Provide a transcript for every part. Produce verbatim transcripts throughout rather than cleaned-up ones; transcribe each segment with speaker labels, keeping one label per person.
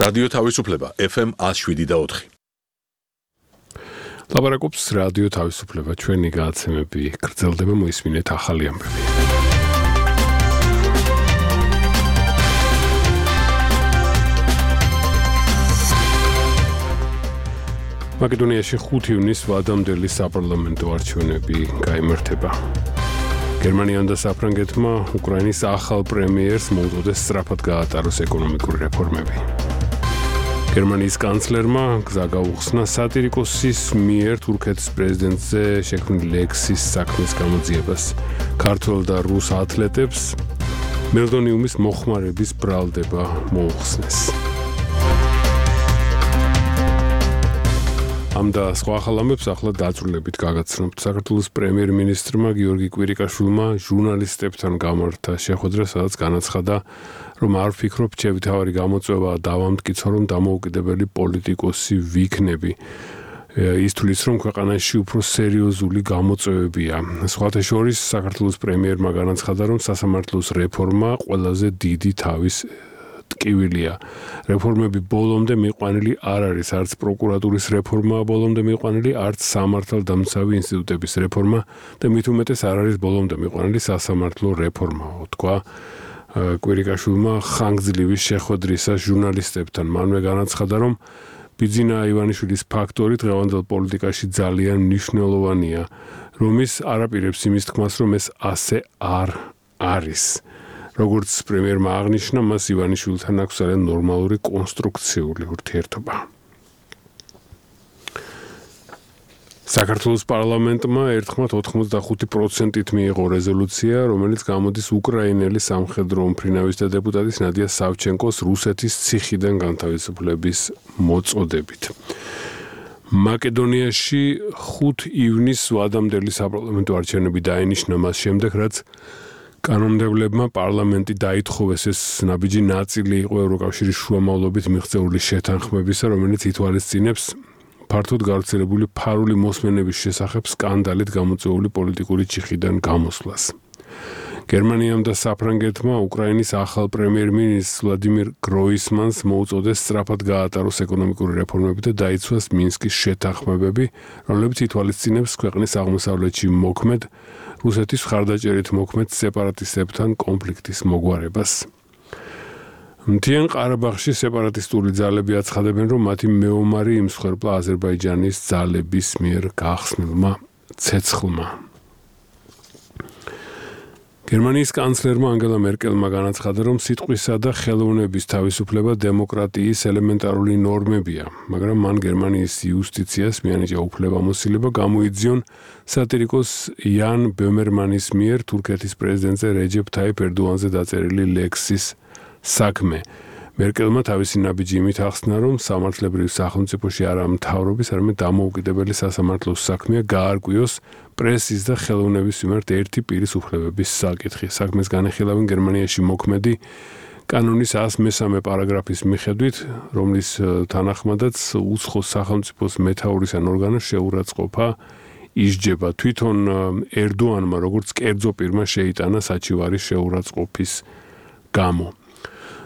Speaker 1: რადიო თავისუფლება ეფ ემ one oh seven და four.
Speaker 2: ლაპარაკობს რადიო თავისუფლება, ჩვენი გადაცემები გრძელდება, მოისმინეთ ახალი ამბები. მაკედონიაში ხუთი ივნისს ვადამდელი საპარლამენტო არჩევნები გაიმართება. გერმანიამ და საფრანგეთმა უკრაინის ახალ პრემიერს მოუწოდეს სწრაფად გაატაროს ეკონომიკური რეფორმები. გერმანიის კანცლერმა გზა გაუხსნა სატირიკოსის მიერ თურქეთის პრეზიდენტზე შექმნილი ლექსის საქმის გამოძიებას. ქართველ და რუს ათლეტებს მელდონიუმის მოხმარების ბრალდება მოუხსნეს. ამ და სხვა ახალ ამბებს ახლა დაწვრილებით გაგაცნობთ. საქართველოს პრემიერ-მინისტრმა გიორგი კვირიკაშვილმა ჟურნალისტებთან გამართა შეხვედრა, სადაც განაცხადა, რომ არ ვფიქრობ, ჩემი გამოწვევა დავამტკიცო, რომ დამოუკიდებელი პოლიტიკოსი ვიქნები. ის თulis, რომ ქვეყანაში უფრო სერიოზული გამოწვევებია. სხვათა შორის, საქართველოს პრემიერმა განაცხადა, რომ სასამართლოს რეფორმა ყველაზე დიდი თავის ტკივილია. რეფორმები ბოლომდე მიყვანილი არ არის, არც პროკურატურის რეფორმაა ბოლომდე მიყვანილი, არც სამართალდამცავი ინსტიტუტების რეფორმა და მით უმეტეს არ არის ბოლომდე მიყვანილი სასამართლო რეფორმა, თქვა კვირიკაშვილმა ხანგრძლივი შეხვედრისას ჟურნალისტებთან. მანვე განაცხადა, რომ ბიძინა ივანიშვილის ფაქტორი დღევანდელ პოლიტიკაში ძალიან მნიშვნელოვანია, რომ ის არაპირებს იმის თქმას, რომ ეს ასე არ არის. როგორც პრემიერმა აღნიშნა, მას ივანიშვილთან აქვს ძალიან ნორმალური კონსტრუქციული ურთიერთობა. საქართველოს პარლამენტმა ერთხმად ოთხმოცდახუთი პროცენტით მიიღო რეზოლუცია, რომელიც გამოდის უკრაინელი სამხედრო უმფრინავის და დეპუტატის ნადია სავჩენკოს რუსეთის ციხიდან განთავისუფლების მოწოდებით. მაკედონიაში ხუთი ივნისს ვადამდელი საპარლამენტო არჩევნები დაინიშნა მას შემდეგ, რაც კანონმდებლებმა პარლამენტი დაითხოვეს ეს ნაბიჯი ნაწილი იყო ევროკავშირის შუამავლობით მიღწეული შეთანხმებისა, რომელიც ითვალისწინებს ფართოდ გავრცელებული ფარული მოსმენების შესახებ სკანდალით გამოწვეული პოლიტიკური ჩიხიდან გამოსვლას. გერმანიამ და საფრანგეთმა უკრაინის ახალ პრემიერ-მინისტრს ვლადიმირ გროისმანს მოუწოდეს სწრაფად გაატაროს ეკონომიკური რეფორმები და დაიცვას მინსკის შეთანხმებები, რომლებიც ითვალისწინებს ქვეყნის აღმოსავლეთში მოქმედ რუსეთის მხარდაჭერით მოქმედ სეპარატისტებთან კონფლიქტის მოგვარებას. მთიან ყარაბაღში სეპარატისტული ძალები აცხადებენ, რომ მათი მეომარი იმსხვერპლა აზერბაიჯანის ძალების მიერ გახსნილმა ცეცხლმა. გერმანიის კანცლერმა ანგელა მერკელმა განაცხადა, რომ სიტყვისა და ხელოვნების თავისუფლება დემოკრატიის ელემენტარული ნორმებია, მაგრამ მან გერმანიის იუსტიციას მიანიჭა უფლებამოსილება გამოიძიონ სატირიკოს იან ბემერმანის მიერ თურქეთის პრეზიდენტზე რეჯეფ თაიფ ერდოანზე დაწერილი ლექსის საქმე. მერკელმა თავისი ნაბიჯი იმით ახსნა, რომ სამართლებრივ სახელმწიფოში არა მთავრობის, არამედ დამოუკიდებელი სასამართლოს საქმეა გაარკვიოს პრესის და ხელოვნების მიმართ ერთი პირის უფლებების საკითხი. საქმეს განეხილავენ გერმანიაში მოქმედი კანონის one oh three პარაგრაფის მიხედვით, რომლის თანახმადაც უცხო სახელმწიფოს მეთაურის ან ორგანოს შეურაცხყოფა ისჯება. თვითონ ერდოანმა როგორც კერძო პირმა შეიტანა საჩივარის შეურაცხყოფის გამო.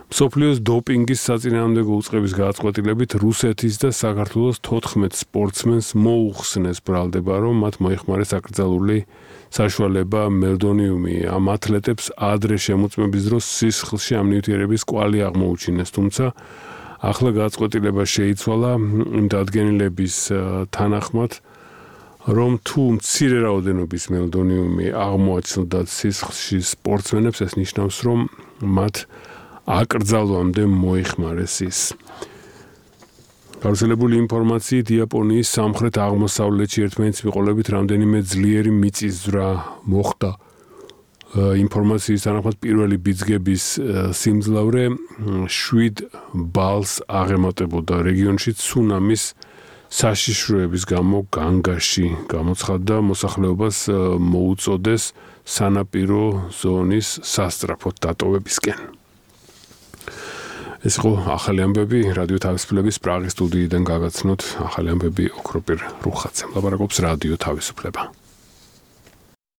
Speaker 2: მსოფლიოს დოპინგის საწინააღმდეგო უწყების გადაწყვეტილებით რუსეთის და საქართველოს თოთხმეტ სპორტსმენს მოუხსნეს ბრალდება, რომ მათ მოიხმარეს აკრძალული საშუალება მელდონიუმი. ამ ათლეტებს ადრე შემოწმების დროს სისხლში ამ ნივთიერების კვალი აღმოუჩინეს, თუმცა ახლა გადაწყვეტილება შეიცვალა იმ დადგენილების თანახმად, რომ თუ მცირე რაოდენობის მელდონიუმი აღმოაჩნდათ სისხლში სპორტსმენებს, ეს ნიშნავს, რომ მათ აკრძალვამდე მოიხმარეს ის. გავრცელებული ინფორმაციით იაპონიის სამხრეთ აღმოსავლეთში ერთმანეთის მიყოლებით რამდენიმე ძლიერი მიწისძვრა მოხდა. ინფორმაციის თანახმად პირველი ბიძგების სიმძლავრე შვიდ ბალს აღემატებოდა. რეგიონში ცუნამის საშიშროების გამო განგაში გამოცხადდა, მოსახლეობას მოუწოდეს სანაპირო ზონის სასწრაფოდ დატოვებისკენ. ეს იყო ახალი ამბები რადიო თავისუფლების პრაღის სტუდიიდან გაგაცნოთ. ახალი ამბები ოქროპირ რუხაძემ. ლაპარაკობს რადიო თავისუფლება.